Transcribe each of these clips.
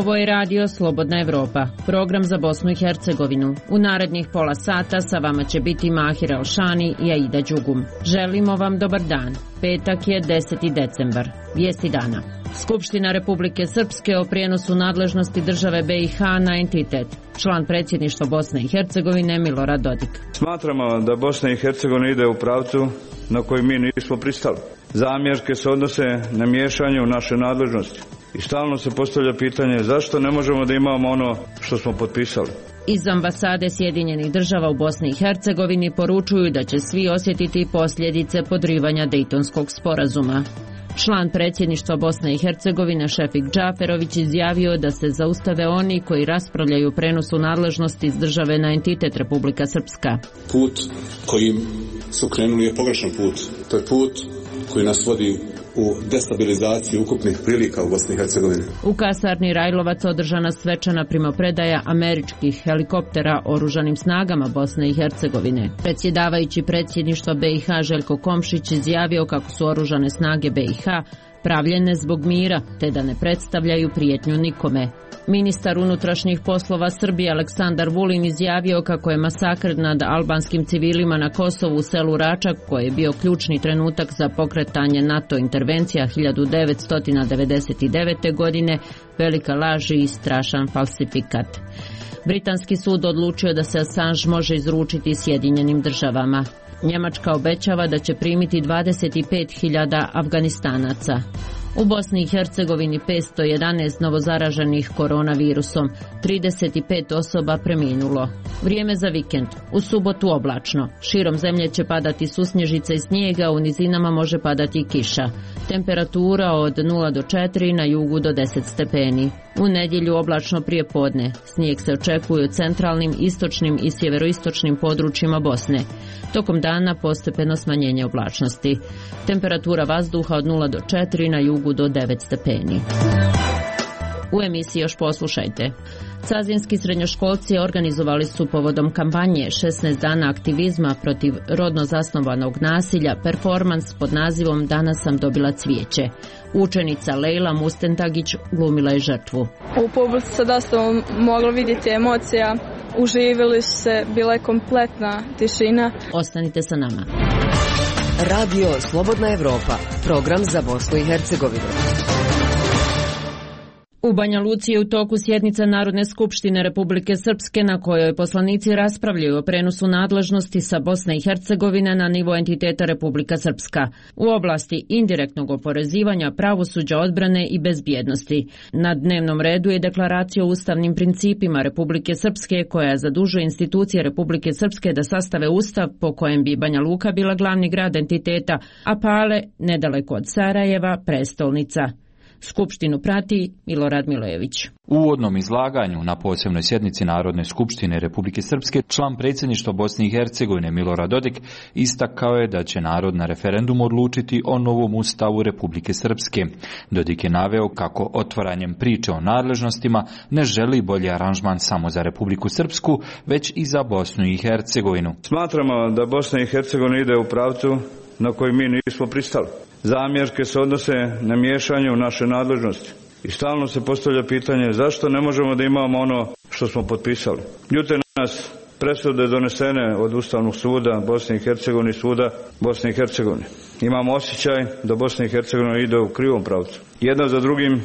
Ovo je radio Slobodna Evropa, program za Bosnu i Hercegovinu. U narednih pola sata sa vama će biti Mahir Alšani i Aida Đugum. Želimo vam dobar dan. Petak je 10. decembar. Vijesti dana. Skupština Republike Srpske o prijenosu nadležnosti države BiH na entitet. Član predsjedništva Bosne i Hercegovine Milorad Dodik. Smatramo da Bosna i Hercegovina ide u pravcu na koji mi nismo pristali. Zamjerke se odnose na miješanje u naše nadležnosti. I stalno se postavlja pitanje zašto ne možemo da imamo ono što smo potpisali. Iz ambasade Sjedinjenih država u Bosni i Hercegovini poručuju da će svi osjetiti posljedice podrivanja Dejtonskog sporazuma. Član predsjedništva Bosne i Hercegovine Šefik Džaferović izjavio da se zaustave oni koji raspravljaju prenosu nadležnosti iz države na entitet Republika Srpska. Put kojim su krenuli je pogrešan put. To je put koji nas vodi u destabilizaciju ukupnih prilika u Bosni i Hercegovini. U kasarni Rajlovac održana svečana primopredaja američkih helikoptera oružanim snagama Bosne i Hercegovine. Predsjedavajući predsjedništva BiH Željko Komšić izjavio kako su oružane snage BiH pravljene zbog mira, te da ne predstavljaju prijetnju nikome. Ministar unutrašnjih poslova Srbije Aleksandar Vulin izjavio kako je masakr nad albanskim civilima na Kosovu u selu Račak, koji je bio ključni trenutak za pokretanje NATO intervencija 1999. godine, velika laž i strašan falsifikat. Britanski sud odlučio da se Assange može izručiti Sjedinjenim državama. Njemačka obećava da će primiti 25.000 Afganistanaca. U Bosni i Hercegovini 511 novozaraženih koronavirusom, 35 osoba preminulo. Vrijeme za vikend. U subotu oblačno. Širom zemlje će padati susnježica i snijega, u nizinama može padati kiša. Temperatura od 0 do 4, na jugu do 10 stepeni. U nedjelju oblačno prije podne. Snijeg se očekuje u centralnim, istočnim i sjeveroistočnim područjima Bosne. Tokom dana postepeno smanjenje oblačnosti. Temperatura vazduha od 0 do 4, na jugu do 9 stepeni. U emisiji još poslušajte. Cazinski srednjoškolci organizovali su povodom kampanje 16 dana aktivizma protiv rodno zasnovanog nasilja performans pod nazivom Danas sam dobila cvijeće. Učenica Lejla Mustentagić glumila je žrtvu. U publici se dosta moglo vidjeti emocija, uživili su se, bila je kompletna tišina. Ostanite sa nama. Radio Slobodna Evropa, program za Bosnu i Hercegovinu. U Banja Luci je u toku sjednica Narodne skupštine Republike Srpske na kojoj poslanici raspravljaju o prenosu nadležnosti sa Bosne i Hercegovine na nivo entiteta Republika Srpska u oblasti indirektnog oporezivanja, pravosuđa, odbrane i bezbjednosti. Na dnevnom redu je deklaracija o ustavnim principima Republike Srpske koja zadužuje institucije Republike Srpske da sastave ustav po kojem bi Banja Luka bila glavni grad entiteta, a Pale, nedaleko od Sarajeva, prestolnica. Skupštinu prati Milorad Milojević. U uvodnom izlaganju na posebnoj sjednici Narodne skupštine Republike Srpske član predsjedništva Bosne i Hercegovine Milorad Dodik istakao je da će narod na referendumu odlučiti o novom ustavu Republike Srpske. Dodik je naveo kako otvaranjem priče o nadležnostima ne želi bolji aranžman samo za Republiku Srpsku, već i za Bosnu i Hercegovinu. Smatramo da Bosna i Hercegovina ide u pravcu na koji mi nismo pristali. Zamjerke se odnose na miješanje u naše nadležnosti. I stalno se postavlja pitanje zašto ne možemo da imamo ono što smo potpisali. Ljute nas presude donesene od Ustavnog suda Bosne i Hercegovine i suda Bosne i Hercegovine. Imamo osjećaj da Bosna i Hercegovina ide u krivom pravcu. Jedna za drugim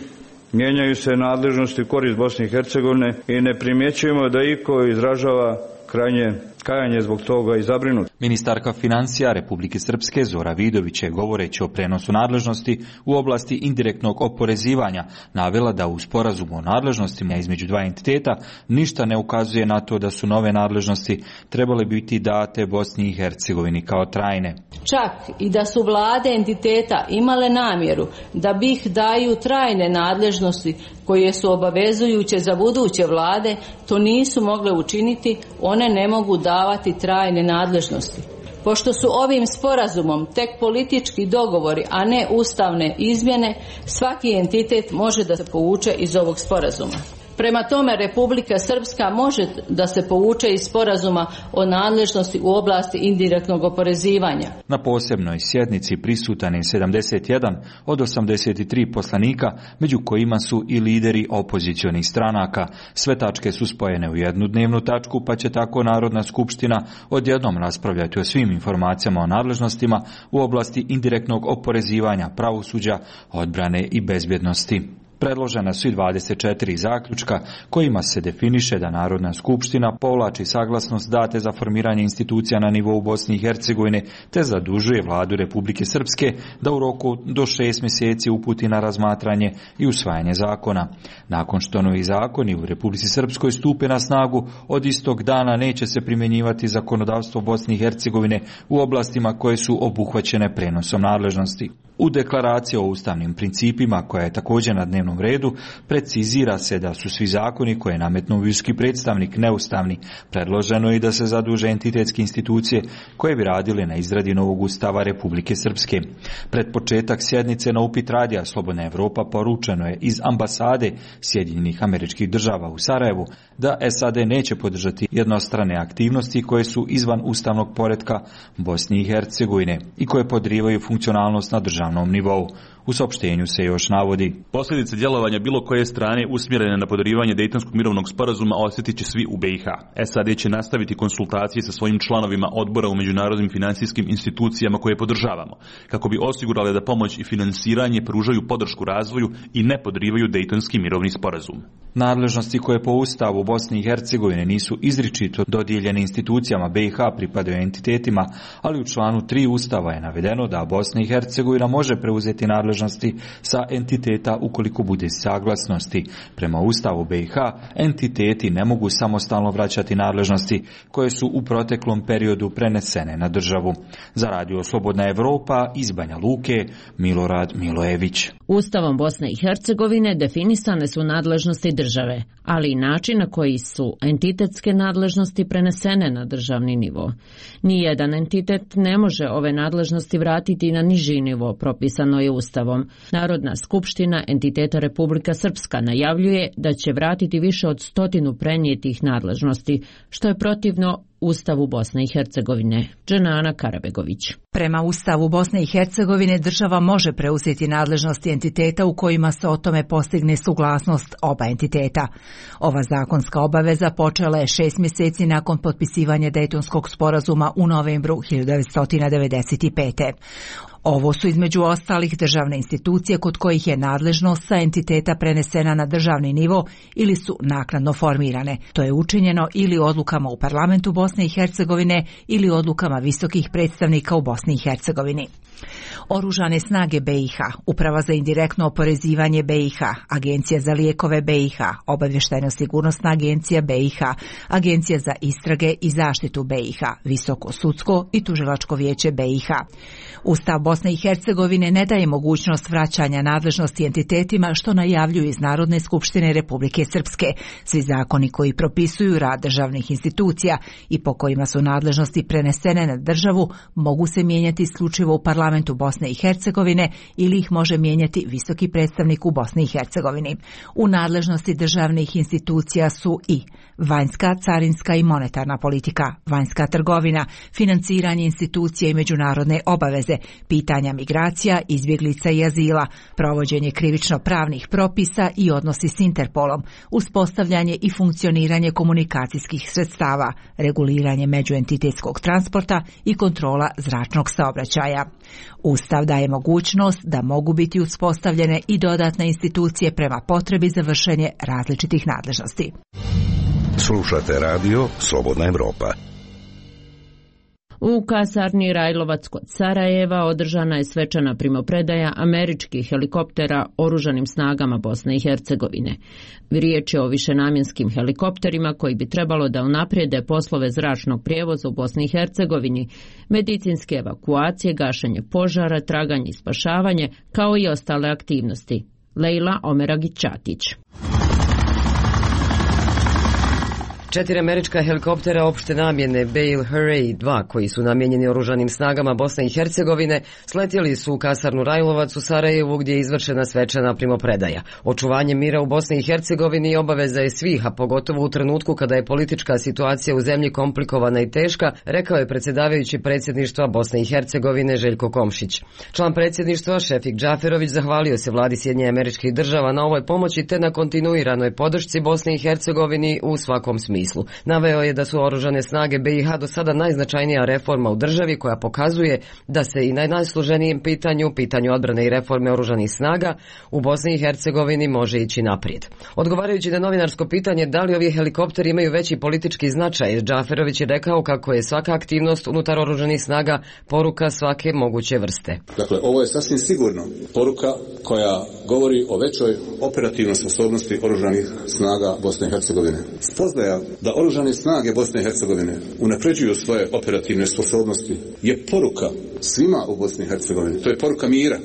mijenjaju se nadležnosti u korist Bosne i Hercegovine i ne primjećujemo da iko izražava krajnje kajanje zbog toga i zabrinut. Ministarka financija Republike Srpske Zora Vidović je govoreći o prenosu nadležnosti u oblasti indirektnog oporezivanja navela da u sporazumu o nadležnostima između dva entiteta ništa ne ukazuje na to da su nove nadležnosti trebale biti date Bosni i Hercegovini kao trajne. Čak i da su vlade entiteta imale namjeru da BiH daju trajne nadležnosti koje su obavezujuće za buduće vlade, to nisu mogle učiniti, one ne mogu davati trajne nadležnosti. Pošto su ovim sporazumom tek politički dogovori, a ne ustavne izmjene, svaki entitet može da se povuče iz ovog sporazuma. Prema tome, Republika Srpska može da se povuče iz sporazuma o nadležnosti u oblasti indirektnog oporezivanja. Na posebnoj sjednici prisutan je 71 od 83 poslanika, među kojima su i lideri opozicionih stranaka. Sve tačke su spojene u jednu dnevnu tačku, pa će tako Narodna skupština odjednom raspravljati o svim informacijama o nadležnostima u oblasti indirektnog oporezivanja, pravosuđa, odbrane i bezbjednosti. Predložena su i 24 zaključka kojima se definiše da Narodna skupština povlači saglasnost date za formiranje institucija na nivou Bosne i Hercegovine te zadužuje vladu Republike Srpske da u roku do 6 mjeseci uputi na razmatranje i usvajanje zakona. Nakon što novi zakoni u Republici Srpskoj stupe na snagu, od istog dana neće se primjenjivati zakonodavstvo Bosne i Hercegovine u oblastima koje su obuhvaćene prenosom nadležnosti. U deklaraciji o ustavnim principima, koja je također na dnevnom redu, precizira se da su svi zakoni koje je nametnuo visoki predstavnik neustavni. Predloženo je i da se zaduže entitetske institucije koje bi radile na izradi novog ustava Republike Srpske. Pred početak sjednice na upit radija Slobodna Evropa poručeno je iz ambasade Sjedinjenih Američkih Država u Sarajevu da SAD neće podržati jednostrane aktivnosti koje su izvan ustavnog poretka Bosne i Hercegovine i koje podrivaju funkcionalnost na državnom nivou. U saopštenju se još navodi: posljedice djelovanja bilo koje strane usmjerene na podrivanje Dejtonskog mirovnog sporazuma osjetit će svi u BiH. SAD će nastaviti konsultacije sa svojim članovima odbora u međunarodnim financijskim institucijama koje podržavamo, kako bi osigurale da pomoć i finansiranje pružaju podršku razvoju i ne podrivaju Dejtonski mirovni sporazum. Nadležnosti koje po Ustavu Bosne i Hercegovine nisu izričito dodijeljene institucijama BiH pripadaju entitetima, ali u članu 3 Ustava je navedeno da Bosna i Hercegovina može preuzeti nadležnosti sa entiteta ukoliko bude saglasnosti. Prema Ustavu BiH, entiteti ne mogu samostalno vraćati nadležnosti koje su u proteklom periodu prenesene na državu. Za Radio Slobodna Evropa iz Banja Luke, Milorad Milojević. Ustavom Bosne i Hercegovine definisane su nadležnosti države, ali i način na koji su entitetske nadležnosti prenesene na državni nivo. Nijedan entitet ne može ove nadležnosti vratiti na niži nivo, propisano je Ustavom. Narodna skupština entiteta Republika Srpska najavljuje da će vratiti više od 100 prenijetih nadležnosti, što je protivno Ustavu Bosne i Hercegovine. Dženana Karabegović. Prema Ustavu Bosne i Hercegovine država može preuzeti nadležnosti entiteta u kojima se o tome postigne suglasnost oba entiteta. Ova zakonska obaveza počela je 6 mjeseci nakon potpisivanja Dejtonskog sporazuma u novembru 1995. Ovo su između ostalih državne institucije kod kojih je nadležnost sa entiteta prenesena na državni nivo ili su naknadno formirane. To je učinjeno ili odlukama u parlamentu Bosne i Hercegovine ili odlukama visokih predstavnika u Bosni i Hercegovini. Oružane snage BiH, Uprava za indirektno oporezivanje BiH, Agencija za lijekove BiH, Obavještajno-sigurnosna agencija BiH, Agencija za istrage i zaštitu BiH, Visoko sudsko i tužilačko vijeće BiH. Ustav Bosne i Hercegovine ne daje mogućnost vraćanja nadležnosti entitetima, što najavljuju iz Narodne skupštine Republike Srpske. Svi zakoni koji propisuju rad državnih institucija i po kojima su nadležnosti prenesene na državu mogu se mijenjati isključivo u parlamentu Bosne i Hercegovine ili ih može mijenjati visoki predstavnik u Bosni i Hercegovini. U nadležnosti državnih institucija su i vanjska, carinska i monetarna politika, vanjska trgovina, financiranje institucije i međunarodne obaveze, pitanja migracija, izbjeglica i azila, provođenje krivično-pravnih propisa i odnosi s Interpolom, uspostavljanje i funkcioniranje komunikacijskih sredstava, reguliranje međuentitetskog transporta i kontrola zračnog saobraćaja. Ustav daje mogućnost da mogu biti uspostavljene i dodatne institucije prema potrebi za vršenje različitih nadležnosti. Slušate radio Slobodna Evropa. U kasarni Rajlovac kod Sarajeva održana je svečana primopredaja američkih helikoptera oružanim snagama Bosne i Hercegovine. Riječ je o višenamjenskim helikopterima koji bi trebalo da unaprijede poslove zračnog prijevoza u Bosni i Hercegovini, medicinske evakuacije, gašenje požara, traganje i spašavanje, kao i ostale aktivnosti. Lejla Omeragić-Ćatić. 4 američka helikoptera opšte namjene Bale Hurray 2, koji su namijenjeni oružanim snagama Bosne i Hercegovine, sletjeli su u kasarnu Rajlovac u Sarajevu, gdje je izvršena svečana primopredaja. Očuvanje mira u Bosni i Hercegovini obaveza je svih, a pogotovo u trenutku kada je politička situacija u zemlji komplikovana i teška, rekao je predsjedavajući predsjedništva Bosne i Hercegovine Željko Komšić. Član predsjedništva Šefik Džaferović zahvalio se vladi Sjedinjenih Američkih Država na ovoj pomoći te na kontinuiranoj podršci Bosni i Hercegovini u svakom smislu. Naveo je da su oružane snage BiH do sada najznačajnija reforma u državi koja pokazuje da se i na najsloženijem pitanju odbrane i reforme oružanih snaga u Bosni i Hercegovini može ići naprijed. Odgovarajući na novinarsko pitanje da li ovi helikopteri imaju veći politički značaj, Džaferović je rekao kako je svaka aktivnost unutar oružanih snaga poruka svake moguće vrste. Dakle, ovo je sasvim sigurno poruka koja govori o većoj operativnoj sposobnosti oružanih snaga Bosne i Hercegovine. Spoznaja da oružane snage Bosne i Hercegovine unapređuju svoje operativne sposobnosti je poruka svima u Bosni i Hercegovini. To je poruka mira.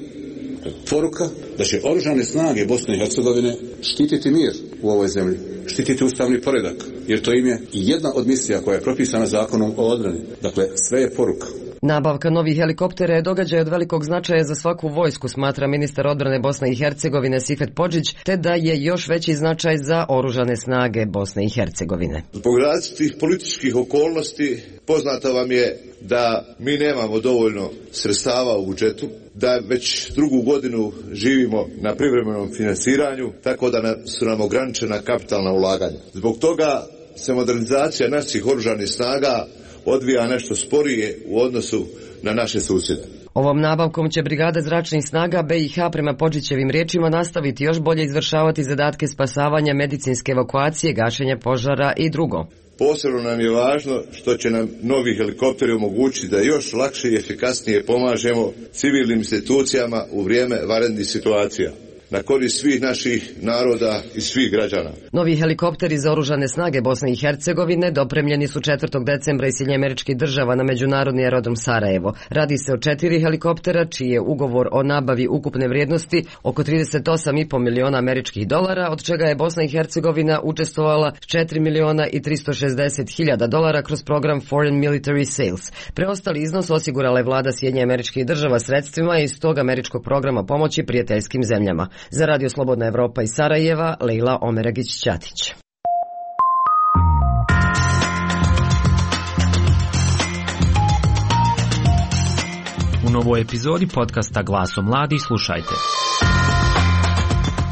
To je poruka da će oružane snage Bosne i Hercegovine štititi mir u ovoj zemlji, štititi ustavni poredak, jer to im je i jedna od misija koja je propisana zakonom o odbrani. Dakle, sve je poruka. Nabavka novih helikoptera je događaj od velikog značaja za svaku vojsku, smatra ministar odbrane Bosne i Hercegovine Sifet Podžić, te da je još veći značaj za oružane snage Bosne i Hercegovine. Zbog različitih političkih okolnosti poznato vam je da mi nemamo dovoljno sredstava u budžetu, da već drugu godinu živimo na privremenom financiranju, tako da su nam ograničena kapitalna ulaganja. Zbog toga se modernizacija naših oružanih snaga odvija nešto sporije u odnosu na naše susjede. Ovom nabavkom će brigada zračnih snaga BiH prema Podžićevim riječima nastaviti još bolje izvršavati zadatke spasavanja, medicinske evakuacije, gašenja požara i drugo. Posebno nam je važno što će nam novi helikopteri omogućiti da još lakše i efikasnije pomažemo civilnim institucijama u vrijeme vanrednih situacija, na korist svih naših naroda i svih građana. Novi helikopteri za oružane snage Bosne i Hercegovine dopremljeni su 4. decembra iz Sjedinjenih Američkih Država na međunarodni aerodrom Sarajevo. Radi se o 4 helikoptera čiji je ugovor o nabavi ukupne vrijednosti oko 38,5 miliona američkih dolara, od čega je Bosna i Hercegovina učestvovala 4 miliona i 360 hiljada dolara kroz program Foreign Military Sales. Preostali iznos osigurala je vlada Sjedinjenih Američkih Država sredstvima iz tog američkog programa pomoći prijateljskim zemljama. Za Radio Slobodna Evropa iz Sarajeva, Lejla Omeragić-Ćatić. U novoj epizodi podcasta Glasom mladih slušajte.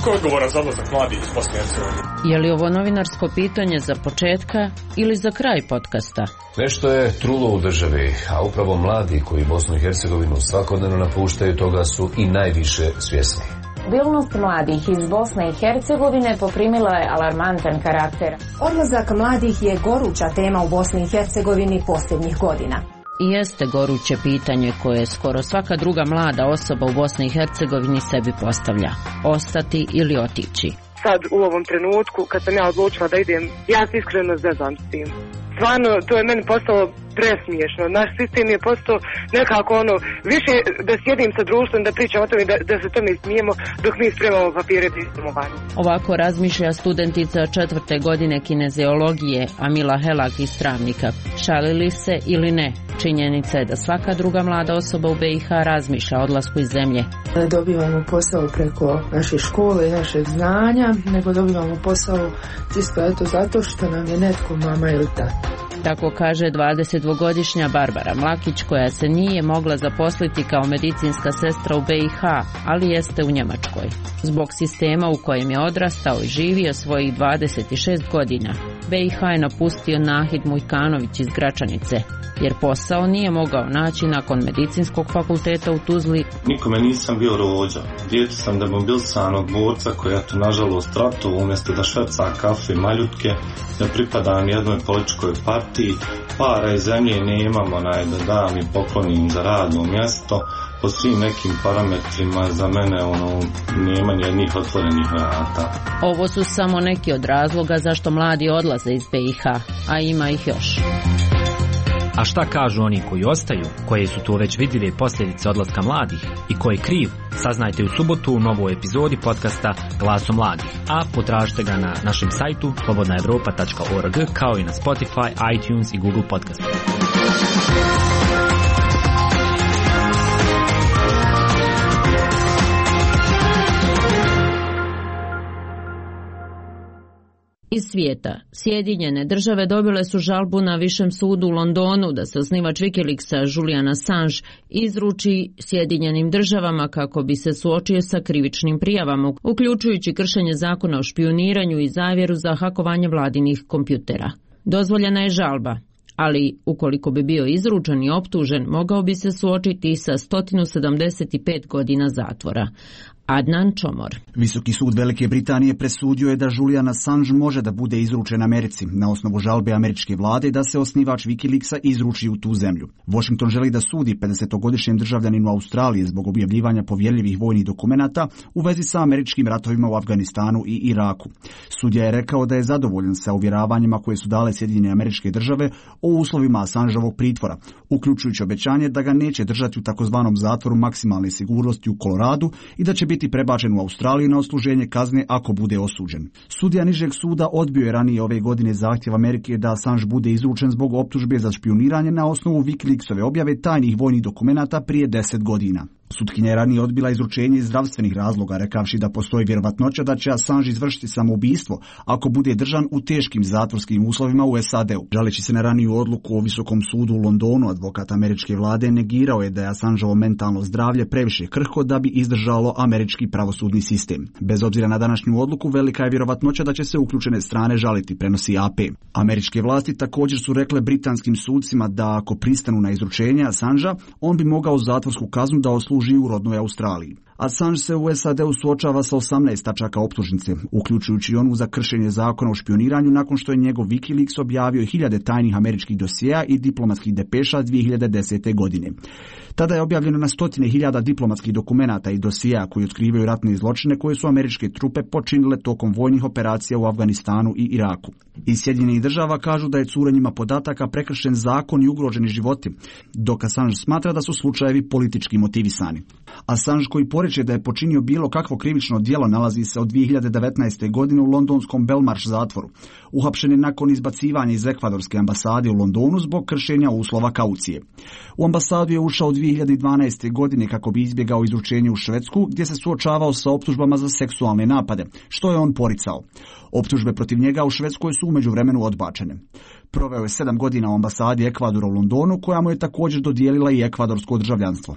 Ko je odgovoran za odlazak mladih iz Bosne i Hercegovine? Je li ovo novinarsko pitanje za početka ili za kraj podcasta? Nešto je trulo u državi, a upravo mladi koji Bosnu i Hercegovinu svakodnevno napuštaju toga su i najviše svjesni. Mobilnost mladih iz Bosne i Hercegovine poprimila je alarmantan karakter. Odlazak mladih je goruća tema u Bosni i Hercegovini posljednjih godina. I jeste goruće pitanje koje skoro svaka druga mlada osoba u Bosni i Hercegovini sebi postavlja. Ostati ili otići. Sad u ovom trenutku kad sam ja odlučila da idem, ja se iskreno zezam s tim. Stvarno, to je meni postalo presmiješno. Naš sistem je postao nekako više da sjedim sa društvom, da pričam o tome, da se tome smijemo dok mi spremamo papire da idemo van. Ovako razmišlja studentica 4. godine kineziologije Amila Helak iz Travnika. Šalili se ili ne, činjenica je da svaka druga mlada osoba u BiH razmišlja o odlasku iz zemlje. Ne dobivamo posao preko naše škole i našeg znanja, nego dobivamo posao čisto zato što nam je netko mama ili tata. Tako kaže 22-godišnja Barbara Mlakić, koja se nije mogla zaposliti kao medicinska sestra u BiH, ali jeste u Njemačkoj. Zbog sistema u kojem je odrastao i živio svojih 26 godina, BiH je napustio Nahid Mujkanović iz Gračanice, jer posao nije mogao naći nakon medicinskog fakulteta u Tuzli. Nikome nisam bio rođa. Dijete sam demobilisanog borca koji je to nažalost ratovao umjesto da šverca kafe i maljutke, ne pripadam jednoj političkoj partiji, para i zemlje nemamo da dam i poklonim za radno mjesto. Po svim nekim parametrima za mene nema nijednih otvorenih vrata. Ovo su samo neki od razloga zašto mladi odlaze iz BiH, a ima ih još. A šta kažu oni koji ostaju, koje su to već vidjeli posljedice odlaska mladih i ko je kriv, saznajte u subotu u novoj epizodi podcasta Glaso mladih, a potražite ga na našem sajtu slobodnaevropa.org kao i na Spotify, iTunes i Google Podcast. Iz svijeta, Sjedinjene države dobile su žalbu na Višem sudu u Londonu da se osnivač Wikileaksa Julian Assange izruči Sjedinjenim državama kako bi se suočio sa krivičnim prijavama, uključujući kršenje zakona o špijuniranju i zavjeru za hakovanje vladinih kompjutera. Dozvoljena je žalba, ali ukoliko bi bio izručen i optužen, mogao bi se suočiti sa 175 godina zatvora. Adnan Čomor. Visoki sud Velike Britanije presudio je da Julian Assange može da bude izručen Americi na osnovu žalbe američke vlade da se osnivač Wikileaksa izruči u tu zemlju. Washington želi da sudi 50-godišnjem državljaninu Australije zbog objavljivanja povjerljivih vojnih dokumenata u vezi sa američkim ratovima u Afganistanu i Iraku. Sudija je rekao da je zadovoljan sa uvjeravanjima koje su dale Sjedinjene Američke Države o uslovima Assangeovog pritvora, uključujući obećanje da ga neće držati u takozvanom zatvoru maksimalne sigurnosti u Koloradu i da će biti prebačen u Australiju na odsluženje kazne ako bude osuđen. Sudija nižeg suda odbio je ranije ove godine zahtjev Amerike da Assange bude izručen zbog optužbe za špijuniranje na osnovu Wikileaksove objave tajnih vojnih dokumenata prije 10 godina. Sutkinja je ranije odbila izručenje iz zdravstvenih razloga, rekavši da postoji vjerovatnoća da će Assange izvršiti samoubistvo ako bude držan u teškim zatvorskim uslovima u SAD-u. Žaleći se na raniju odluku o Visokom sudu u Londonu, advokat američke vlade negirao je da je Assangeovo mentalno zdravlje previše krhko da bi izdržalo američki pravosudni sistem. Bez obzira na današnju odluku, velika je vjerovatnoća da će se uključene strane žaliti, prenosi AP. Američke vlasti također su rekle britanskim sudcima da ako pristanu na izručenje Assangea, on bi mogao zatvorsku kaznu da služi u rodnoj Australiji. Assange se u SAD-u suočava sa 18 tačaka optužnice, uključujući onu za kršenje zakona o špijuniranju nakon što je njegov Wikileaks objavio hiljade tajnih američkih dosjea i diplomatskih depeša 2010. godine. Tada je objavljeno na stotine hiljada diplomatskih dokumenata i dosjea koji otkrivaju ratne zločine koje su američke trupe počinile tokom vojnih operacija u Afganistanu i Iraku. Iz Sjedinjenih država kažu da je curenjima podataka prekršen zakon i ugroženi životi, dok Assange smatra da su slučajevi politički motivisani. Assange, koji poreče da je počinio bilo kakvo krivično djelo, nalazi se od 2019. godine u londonskom Belmarsh zatvoru. Uhapšen je nakon izbacivanja iz ekvadorske ambasade u Londonu zbog kršenja uslova kaucije. U ambasadu je ušao 2012. godine kako bi izbjegao izručenje u Švedsku, gdje se suočavao sa optužbama za seksualne napade, što je on poricao. Optužbe protiv njega u Švedskoj su u međuvremenu odbačene. Proveo je 7 godina u ambasadi Ekvadora u Londonu, koja mu je također dodijelila i ekvadorsko državljanstvo.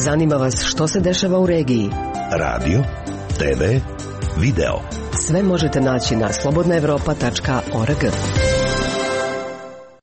Zanima vas što se dešava u regiji? Radio, TV, video. Sve možete naći na slobodnaevropa.org.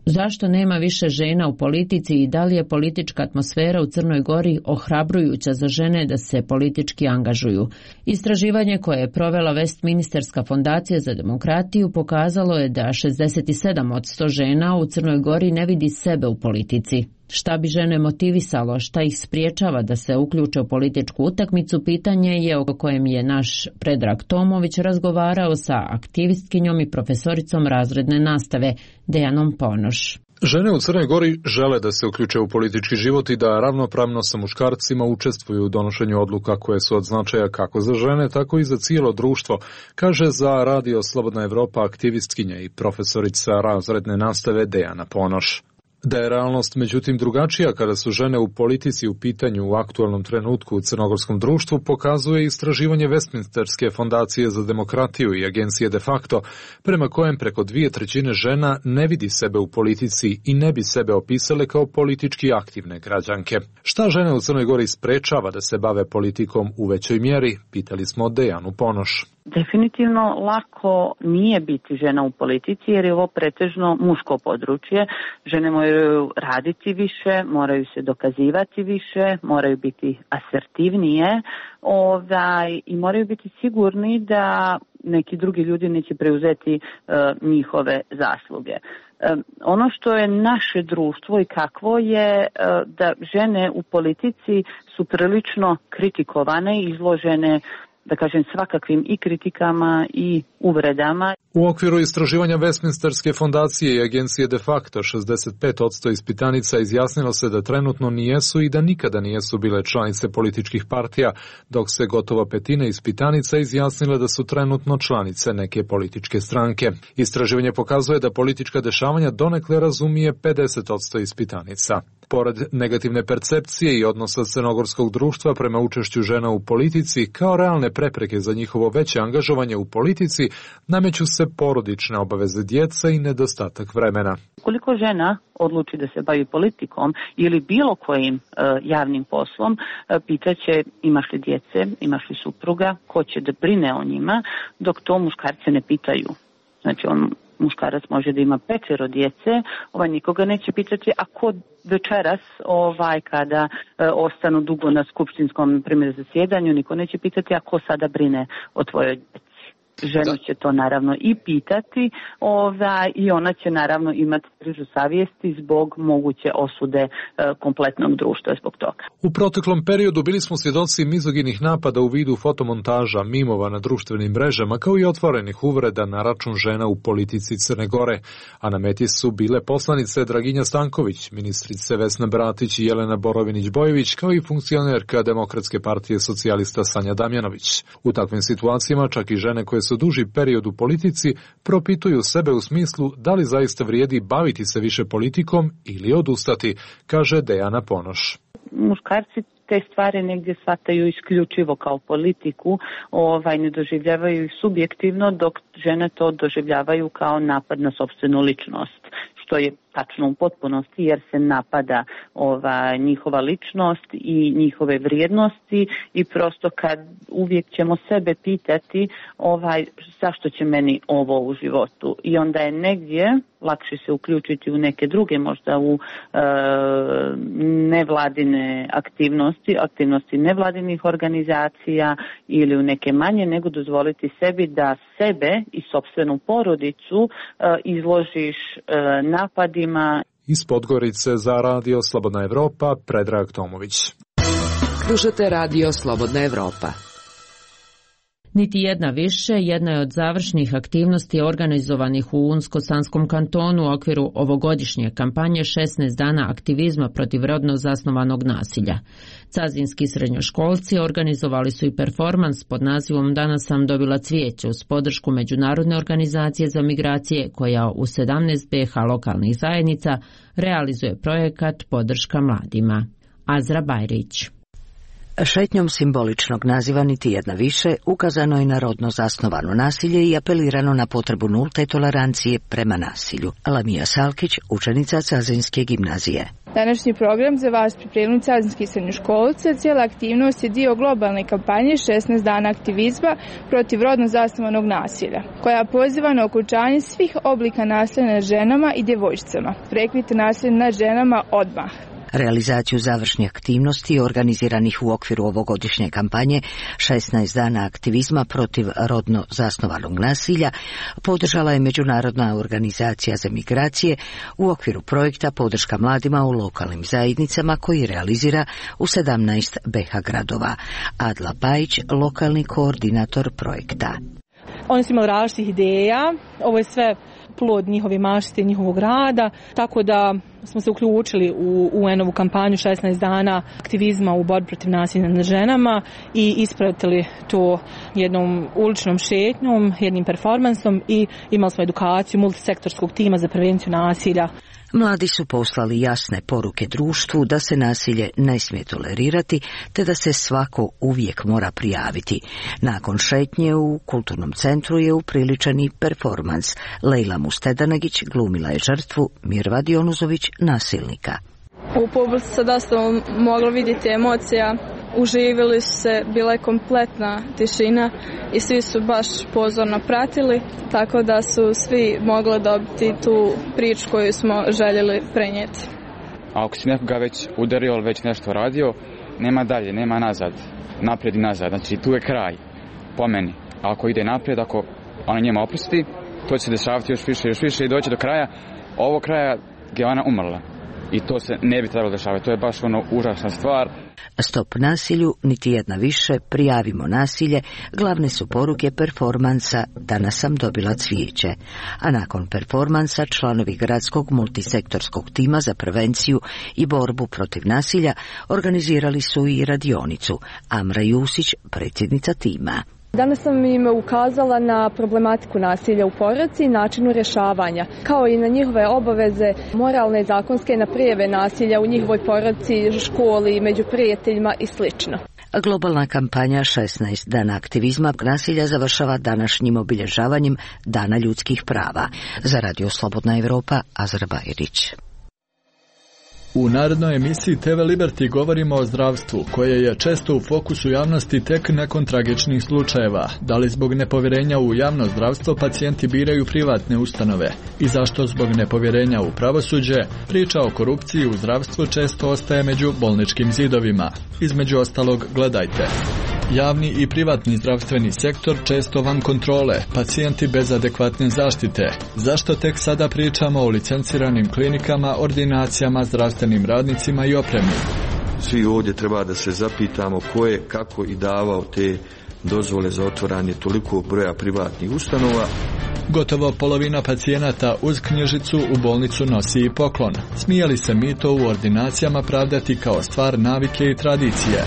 Zašto nema više žena u politici i da li je politička atmosfera u Crnoj Gori ohrabrujuća za žene da se politički angažuju? Istraživanje koje je provela Westminsterska fondacija za demokratiju pokazalo je da 67% žena u Crnoj Gori ne vidi sebe u politici. Šta bi žene motivisalo, šta ih spriječava da se uključe u političku utakmicu, pitanje je o kojem je naš Predrag Tomović razgovarao sa aktivistkinjom i profesoricom razredne nastave Dejanom Ponoš. Žene u Crnoj Gori žele da se uključe u politički život i da ravnopravno sa muškarcima učestvuju u donošenju odluka koje su od značaja kako za žene, tako i za cijelo društvo, kaže za Radio Slobodna Evropa aktivistkinja i profesorica razredne nastave Dejana Ponoš. Da je realnost međutim drugačija kada su žene u politici u pitanju u aktualnom trenutku u crnogorskom društvu, pokazuje istraživanje Westminsterske fondacije za demokratiju i agencije De facto, prema kojem preko 2/3 žena ne vidi sebe u politici i ne bi sebe opisale kao politički aktivne građanke. Šta žene u Crnoj Gori sprečava da se bave politikom u većoj mjeri, pitali smo Dejanu Ponoš. Definitivno lako nije biti žena u politici jer je ovo pretežno muško područje. Žene moraju raditi više, moraju se dokazivati više, moraju biti asertivnije i moraju biti sigurni da neki drugi ljudi neće preuzeti njihove zasluge. Ono što je naše društvo i kakvo je da žene u politici su prilično kritikovane, izložene da kažem, svakakvim i kritikama i uvredama. U okviru istraživanja Westminsterske fondacije i agencije De facto 65% ispitanica izjasnilo se da trenutno nijesu i da nikada nijesu bile članice političkih partija, dok se gotovo petina ispitanica izjasnila da su trenutno članice neke političke stranke. Istraživanje pokazuje da politička dešavanja donekle razumije 50% ispitanica. Pored negativne percepcije i odnosa crnogorskog društva prema učešću žena u politici, kao realne prepreke za njihovo veće angažovanje u politici, nameću se porodične obaveze djeca i nedostatak vremena. Koliko žena odluči da se bavi politikom ili bilo kojim javnim poslom, pitaće imaš li djece, imaš li supruga, ko će da brine o njima, dok to muškarce ne pitaju. Znači muškarac može da ima 5 djece, nikoga neće pitati, a ko večeras kada ostanu dugo na skupštinskom primjer zasjedanju, niko neće pitati, a ko sada brine o tvojoj djeci. Ženu će to naravno i pitati i ona će naravno imati križu savjesti zbog moguće osude kompletnog društva zbog toga. U proteklom periodu bili smo svjedoci mizoginih napada u vidu fotomontaža, mimova na društvenim mrežama, kao i otvorenih uvreda na račun žena u politici Crne Gore, a na meti su bile poslanice Draginja Stanković, ministrice Vesna Bratić i Jelena Borovinić-Bojević, kao i funkcionerka Demokratske partije socijalista Sanja Damjanović. U takvim situacijama čak i žene koje su duži period u politici propituju sebe u smislu da li zaista vrijedi baviti se više politikom ili odustati, kaže Dejana Ponoš. Muškarci te stvari negdje shvataju isključivo kao politiku, ne doživljavaju ih subjektivno, dok žene to doživljavaju kao napad na sopstvenu ličnost, što je tačno u potpunosti jer se napada njihova ličnost i njihove vrijednosti i prosto kad uvijek ćemo sebe pitati zašto će meni ovo u životu i onda je negdje lakše se uključiti u neke druge, možda u nevladine aktivnosti nevladinih organizacija ili u neke manje, nego dozvoliti sebi da sebe i sopstvenu porodicu izložiš napadima. Iz Podgorice za Radio Slobodna Evropa, Predrag Tomović. Slušate Radio Slobodna Evropa. Niti jedna više, jedna je od završnih aktivnosti organizovanih u Unsko-Sanskom kantonu u okviru ovogodišnje kampanje 16 dana aktivizma protiv rodno zasnovanog nasilja. Cazinski srednjoškolci organizovali su i performans pod nazivom Danas sam dobila cvijeće uz podršku Međunarodne organizacije za migracije koja u 17 BiH lokalnih zajednica realizuje projekat Podrška mladima. Azra Bajrić. Šetnjom simboličnog naziva Niti jedna više ukazano je na rodno zasnovano nasilje i apelirano na potrebu nulte tolerancije prema nasilju. Lamija Salkić, učenica Cazinske gimnazije. Današnji program za vas pripremili cazinski srednjoškolce. Cijela aktivnost je dio globalne kampanje 16 dana aktivizma protiv rodno zasnovanog nasilja, koja poziva na okončanje svih oblika nasilja nad ženama i djevojčicama. Prekvite nasilje nad ženama odmah. Realizaciju završnih aktivnosti organiziranih u okviru ovogodišnje kampanje 16 dana aktivizma protiv rodno zasnovanog nasilja podržala je Međunarodna organizacija za migracije u okviru projekta Podrška mladima u lokalnim zajednicama koji realizira u 17 BiH gradova. Adla Bajić, lokalni koordinator projekta. Oni su imali različitih ideja, ovo je sve plod njihove mašte, njihovog rada, tako da smo se uključili u UN-ovu kampanju 16 dana aktivizma u borbi protiv nasilja nad ženama i ispratili to jednom uličnom šetnjom, jednim performansom i imali smo edukaciju multisektorskog tima za prevenciju nasilja. Mladi su poslali jasne poruke društvu da se nasilje ne smije tolerirati te da se svako uvijek mora prijaviti. Nakon šetnje u kulturnom centru je upriličen i performans. Lejla Mustedanagić glumila je žrtvu, Mirva Dionuzović nasilnika. U publici se dosta moglo vidjeti emocija, uživili su se, bila je kompletna tišina i svi su baš pozorno pratili, tako da su svi mogli dobiti tu priču koju smo željeli prenijeti. A ako si nekoga već udario ili već nešto radio, nema dalje, nema nazad, naprijed i nazad, znači tu je kraj, po meni. A ako ide naprijed, ako ona njema oprosti, to će se dešavati još više i doći do kraja, ovog kraja gdje ona umrla. I to se ne bi trebalo dešavati, to je baš užasna stvar. Stop nasilju, niti jedna više, prijavimo nasilje, glavne su poruke performansa Danas sam dobila cvijeće. A nakon performansa članovi gradskog multisektorskog tima za prevenciju i borbu protiv nasilja organizirali su i radionicu. Amra Jusić, predsjednica tima. Danas sam im ukazala na problematiku nasilja u porodici i načinu rješavanja, kao i na njihove obaveze moralne i zakonske na prijave nasilja u njihovoj porodici, školi, među prijateljima i sl. Globalna kampanja 16 dana aktivizma nasilja završava današnjim obilježavanjem Dana ljudskih prava. Za Radio Slobodna Evropa, Azra Bajrić. U narednoj emisiji TV Liberty govorimo o zdravstvu, koje je često u fokusu javnosti tek nakon tragičnih slučajeva. Da li zbog nepovjerenja u javno zdravstvo pacijenti biraju privatne ustanove? I zašto zbog nepovjerenja u pravosuđe priča o korupciji u zdravstvu često ostaje među bolničkim zidovima? Između ostalog, gledajte. Javni i privatni zdravstveni sektor često van kontrole, pacijenti bez adekvatne zaštite. Zašto tek sada pričamo o licenciranim klinikama, ordinacijama, zdravstvenim radnicima i opremi? Svi ovdje treba da se zapitamo ko je, kako i davao te dozvole za otvaranje toliko broja privatnih ustanova. Gotovo polovina pacijenata uz knjižicu u bolnicu nosi i poklon. Smije li se mito u ordinacijama pravdati kao stvar navike i tradicije?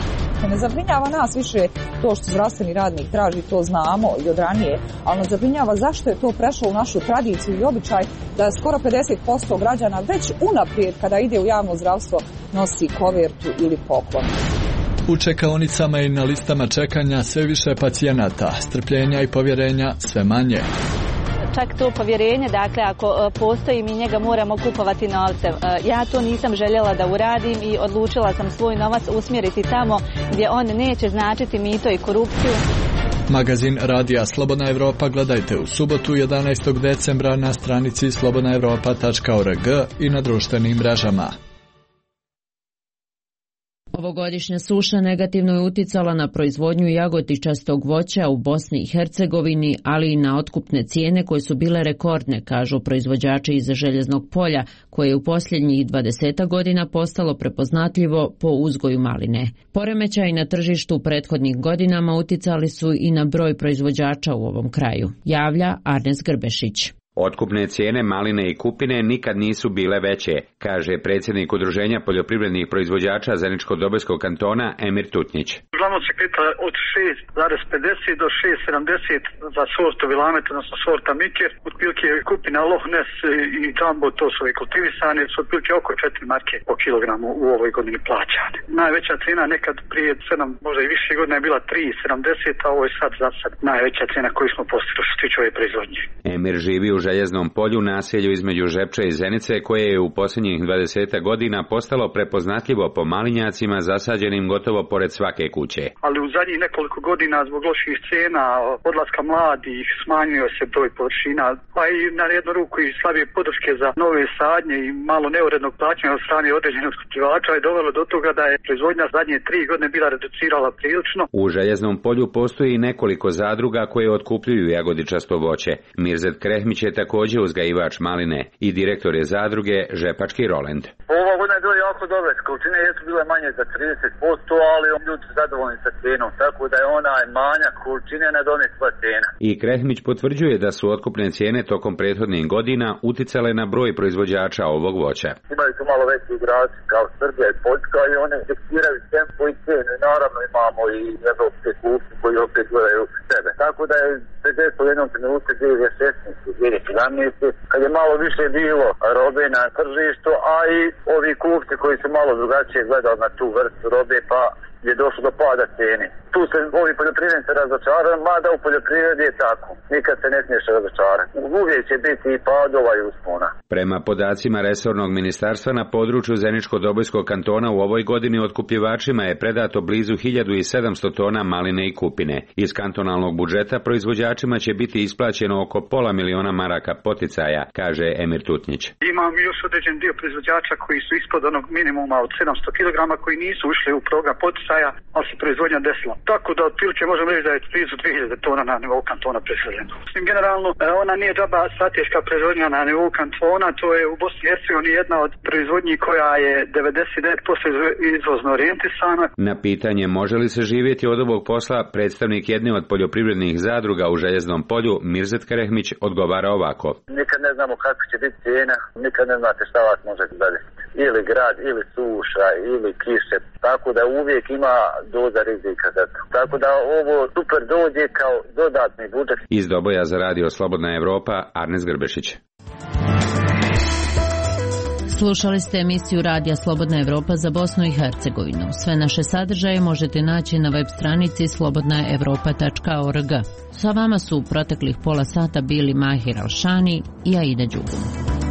Ne zabrinjava nas više to što zdravstveni radnik traži, to znamo i od ranije, ali nas zabrinjava zašto je to prešlo u našu tradiciju i običaj da skoro 50% građana već unaprijed kada ide u javno zdravstvo nosi kovertu ili poklon. U čekaonicama i na listama čekanja sve više pacijenata, strpljenja i povjerenja sve manje. Čak to povjerenje, dakle, ako postoji, mi njega moramo kupovati novcem. Ja to nisam željela da uradim i odlučila sam svoj novac usmjeriti tamo gdje on neće značiti mito i korupciju. Magazin Radija Slobodna Evropa gledajte u subotu 11. decembra na stranici slobodnaevropa.org i na društvenim mrežama. Ovogodišnja suša negativno je uticala na proizvodnju jagodičastog voća u Bosni i Hercegovini, ali i na otkupne cijene koje su bile rekordne, kažu proizvođači iz Željeznog polja, koje je u posljednjih 20 godina postalo prepoznatljivo po uzgoju maline. Poremećaji na tržištu u prethodnih godinama uticali su i na broj proizvođača u ovom kraju, javlja Arnes Grbešić. Otkupne cijene maline i kupine nikad nisu bile veće, kaže predsjednik Udruženja poljoprivrednih proizvođača Zeničko-Dobojskog kantona Emir Tutnjić. Uglavnom se kreta od 6,50 do 6,70 za sortu Vilamet, odnosno sorta Miker. Otprilike kupina Loch Ness i Jumbo, to su i kultivisane, su otprilike oko 4 marke po kilogramu u ovoj godini plaćane. Najveća cijena nekad prije 7, možda i više godina je bila 3,70, a ovo je sad za sad najveća cijena koju smo postigli što se tiče ove proizvodnje. Emir živi u Željeznom polju, naselju između Žepča i Zenice, koje je u posljednjih 20 godina postalo prepoznatljivo po malinjacima zasađenim gotovo pored svake kuće. Ali u zadnjih nekoliko godina zbog loših cijena, odlaska mladih, smanjio se broj površina, pa i na jednu ruku i slabije podrške za nove sadnje i malo neurednog plaćanja od strane određenih otkupljivača je dovelo do toga da je proizvodnja zadnje 3 godine bila reducirala prilično. U Željeznom polju postoji nekoliko zadruga koje otkupljuju jagodičasto voće. Mirzet Krehmić je također uzgajivač maline i direktor je zadruge Žepački Roland. Ova godina je bila jako dobra, količine jesu bile manje za 30%, ali ljudi su zadovoljni sa cijenom, tako da je onaj manjak količine nadomjestila cijena. I Krehmić potvrđuje da su otkupne cijene tokom prethodnih godina uticale na broj proizvođača ovog voća. Imaju tu malo veći igrači kao Srbija i Poljska i one diktiraju tempo i cijenu. Naravno imamo i evropske kupci koji opet gledaju sebe. Tako da je u jednom trenutku 2016-2017, kad je malo više bilo robe na tržištu, a i ovi kupci koji su malo drugačije gledali na tu vrstu robe, pa je došlo do pada cijene. Tu se ovi poljoprivrednici razočaraju, mada u poljoprivredi je tako. Nikad se ne smiješ razočarati. Uvijek će biti i padova i uspona. Prema podacima resornog ministarstva, na području Zeničko-Dobojskog kantona u ovoj godini otkupljivačima je predato blizu 1700 tona maline i kupine. Iz kantonalnog budžeta proizvođačima će biti isplaćeno oko $500.000 maraka poticaja, kaže Emir Tutnjić. Imam još određen dio proizvođača koji su ispod onog minimuma od 700 kg koji nisu ušli u program poticaja poticaja, ali se proizvodnja desila. Tako da otprilike možemo reći da je blizu 2000 tona na nivou kantona preseljeno. Generalno, ona nije džaba strateška proizvodnja na nivou kantona, to je u Bosni i Hercegovini jedna od proizvodnji koja je 99% izvozno orijentisana. Na pitanje može li se živjeti od ovog posla, predstavnik jedne od poljoprivrednih zadruga u Željeznom polju, Mirzet Kerehmić, odgovara ovako. Nikad ne znamo kako će biti cijena, nikad ne znate šta vas može zadesiti. Ili grad, ili suša, ili kiše. Tako da uvijek ima doza rizika za to. Tako da ovo super dođe kao dodatni budžet. Iz Doboja za radio Slobodna Evropa, Arnes Grbešić. Slušali ste emisiju Radija Slobodna Evropa za Bosnu i Hercegovinu. Sve naše sadržaje možete naći na web stranici slobodnaevropa.org. Sa vama su u proteklih pola sata bili Mahir Alšani i Aida Đugum.